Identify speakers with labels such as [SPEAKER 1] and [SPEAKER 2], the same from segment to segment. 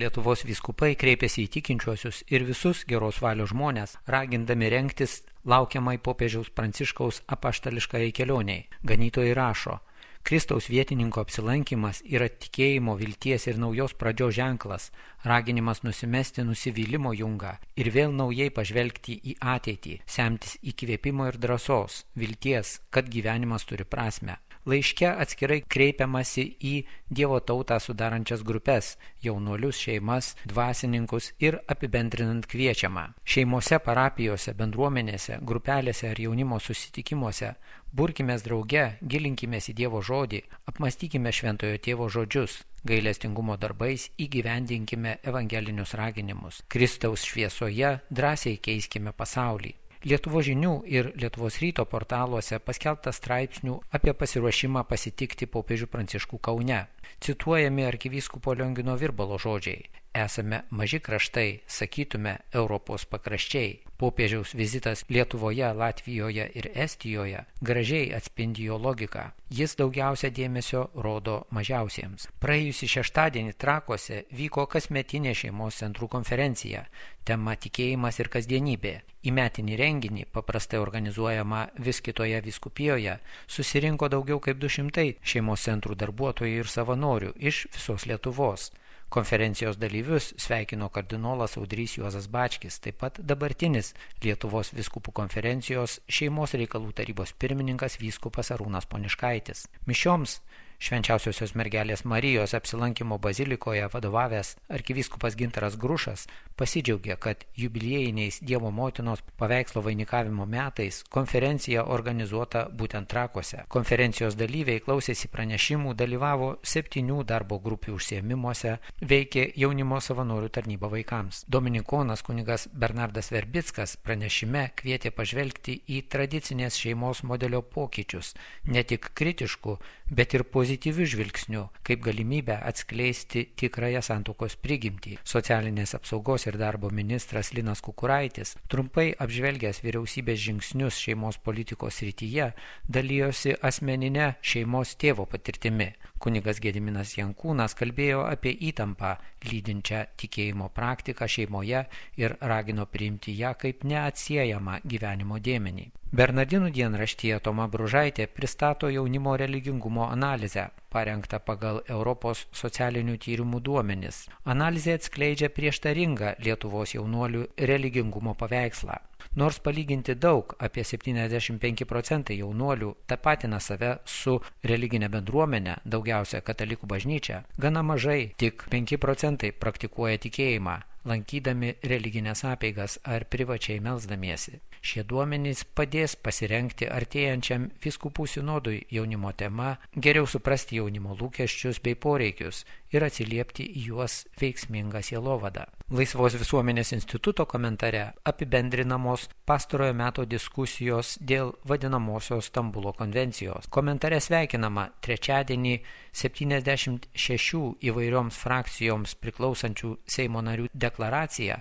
[SPEAKER 1] Lietuvos vyskupai kreipėsi į tikinčiuosius ir visus geros valios žmonės, ragindami rengtis laukiamai popiežiaus Pranciškaus apaštališkai kelioniai. Ganytojai rašo: Kristaus vietininko apsilankimas yra tikėjimo, vilties ir naujos pradžios ženklas, raginimas nusimesti nusivylimo jungą ir vėl naujai pažvelgti į ateitį, semtis įkvėpimo ir drąsos, vilties, kad gyvenimas turi prasmę. Laiške atskirai kreipiamasi į Dievo tautą sudarančias grupės, jaunuolius, šeimas, dvasininkus ir apibendrinant kviečiama. Šeimose, parapijose, bendruomenėse, grupelėse ar jaunimo susitikimuose burkimės drauge, gilinkimės į Dievo žodį, apmastykime Šventojo Tėvo žodžius, gailestingumo darbais įgyvendinkime evangelinius raginimus. Kristaus šviesoje drąsiai keiskime pasaulį. Lietuvos žinių ir Lietuvos ryto portaluose paskelbta straipsnių apie pasiruošimą pasitikti popiežių Pranciškų Kaune. Cituojami arkivyskupo Liongino Virbalo žodžiai: esame maži kraštai, sakytume Europos pakraščiai. Popiežiaus vizitas Lietuvoje, Latvijoje ir Estijoje gražiai atspindi jo logiką. Jis daugiausia dėmesio rodo mažiausiems. Praėjusį šeštadienį Trakuose vyko kasmetinė šeimos centrų konferencija. Tema tikėjimas ir kasdienybė. Į metinį renginį, paprastai organizuojama vis kitoje vyskupijoje, susirinko daugiau kaip 200 šeimos centrų darbuotojų ir savanorių iš visos Lietuvos. Konferencijos dalyvius sveikino kardinolas Audrys Juozas Bačkis, taip pat dabartinis Lietuvos vyskupų konferencijos šeimos reikalų tarybos pirmininkas vyskupas Arūnas Poniškaitis. Mišioms Švenčiausiosios mergelės Marijos apsilankimo bazilikoje vadovavęs arkivyskupas Gintaras Grušas pasidžiaugė, kad jubiliejiniais Dievo motinos paveikslo vainikavimo metais konferencija organizuota būtent Trakuose. Konferencijos dalyviai klausėsi pranešimų, dalyvavo 7 darbo grupių užsiėmimuose, veikė jaunimo savanorių tarnyba vaikams. Dominikonas kunigas Bernardas Verbickas pranešime kvietė pažvelgti į tradicinės šeimos modelio pokyčius, ne tik kritiškų, bet ir pozityvių žvilgsnių, kaip galimybę atskleisti tikrąją santuokos prigimtį. Socialinės apsaugos ir darbo ministras Linas Kukuraitis, trumpai apžvelgęs vyriausybės žingsnius šeimos politikos srityje, dalijosi asmeninę šeimos tėvo patirtimi. Kunigas Gediminas Jankūnas kalbėjo apie įtampą lydinčią tikėjimo praktiką šeimoje ir ragino priimti ją kaip neatsiejamą gyvenimo dėmenį. Bernardinų dienraštyje Toma Bružaitė pristato jaunimo religingumo analizę, parengtą pagal Europos socialinių tyrimų duomenis. Analizė atskleidžia prieštaringą Lietuvos jaunuolių religingumo paveikslą. Nors palyginti daug, apie 75% jaunuolių tapatina save su religinė bendruomenė, daugiausia katalikų bažnyčia, gana mažai, tik 5% praktikuoja tikėjimą, lankydami religinės apeigas ar privačiai melsdamiesi. Šie duomenys padės pasirengti artėjančiam vyskupų sinodui jaunimo tema, geriau suprasti jaunimo lūkesčius bei poreikius ir atsiliepti į juos veiksmingą sielovadą. Laisvos visuomenės instituto komentare apibendrinamos pastarojo meto diskusijos dėl vadinamosios Stambulo konvencijos. Komentare sveikinama trečiadienį 76 įvairioms frakcijoms priklausančių Seimo narių deklaracija,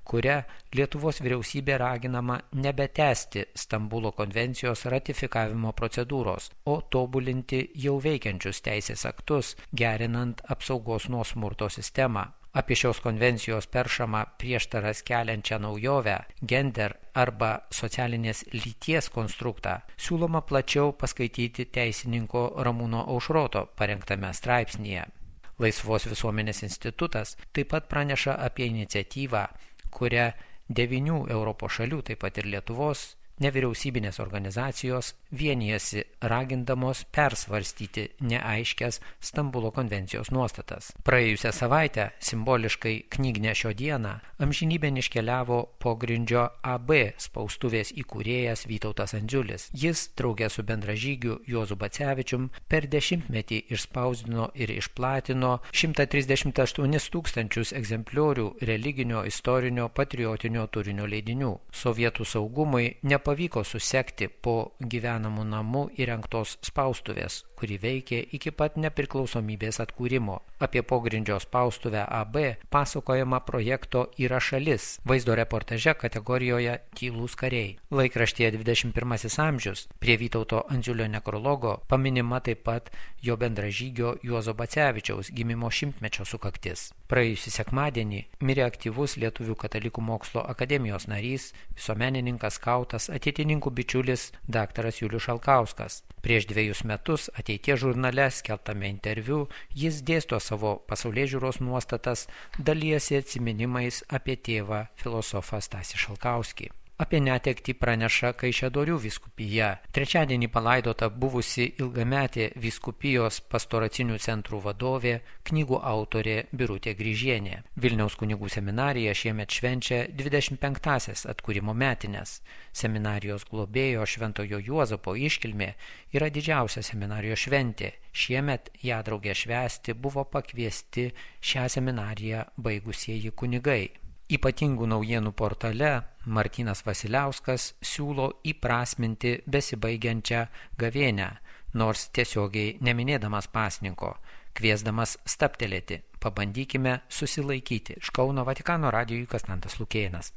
[SPEAKER 1] kuria Lietuvos vyriausybė raginama nebetęsti Stambulo konvencijos ratifikavimo procedūros, o tobulinti jau veikiančius teisės aktus, gerinant apsaugos nuo smurto sistemą. Apie šios konvencijos peršamą prieštaras keliančią naujovę, gender arba socialinės lyties konstruktą, siūloma plačiau paskaityti teisininko Ramūno Aušroto parengtame straipsnyje. Laisvos visuomenės institutas taip pat praneša apie iniciatyvą, kuria 9 Europos šalių, taip pat ir Lietuvos, nevyriausybinės organizacijos vienijasi ragindamos persvarstyti neaiškias Stambulo konvencijos nuostatas. Praėjusią savaitę, simboliškai Knygnešio dieną, amžinybėn iškeliavo pogrindžio AB spaustuvės įkūrėjas Vytautas Andžiulis. Jis, drauge su bendražygiu Juozu Bacevičium, per 10-metį išspausdino ir išplatino 138 000 egzempliorių religinio, istorinio, patriotinio turinio leidinių. Sovietų saugumui nepavyko susekti po gyvenamų namų įrengtos spaustuvės, kuri veikė iki pat nepriklausomybės atkūrimo. Apie pogrindžio spaustuvę AB pasakojama projekto Yra šalis vaizdo reportaže kategorijoje Tylūs kariai. Laikraštyje 21 amžius prie Vytauto Andziulio nekrologo paminima taip pat jo bendražygio Juozo Bacevičiaus gimimo 100-mečio sukaktis. Praėjusį sekmadienį mirė aktyvus Lietuvių katalikų mokslo akademijos narys, visuomenininkas, skautas, ateitininkų bičiulis dr. Julius Šalkauskas. Prieš 2 metus Ateities žurnale skelbtame interviu jis dėsto savo pasaulėžiūros nuostatas, dalijasi atsiminimais apie tėvą filosofą Stasį Šalkauskį. Apie netektį praneša Kaišiadorių vyskupija. Trečiadienį palaidota buvusi ilgametė vyskupijos pastoracinių centrų vadovė, knygų autorė Birutė Grįžienė. Vilniaus kunigų seminarija šiemet švenčia 25-asias atkūrimo metines. Seminarijos globėjo Šventojo Juozapo iškilmė yra didžiausia seminarijos šventė. Šiemet ją draugę švęsti buvo pakviesti šią seminariją baigusieji kunigai. Ypatingų naujienų portale Martynas Vasiliauskas siūlo įprasminti besibaigiančią gavėnią, nors tiesiogiai neminėdamas pasninko, kviesdamas stabtelėti. Pabandykime susilaikyti. Iš Kauno Vatikano radijui Konstantas Lukėnas.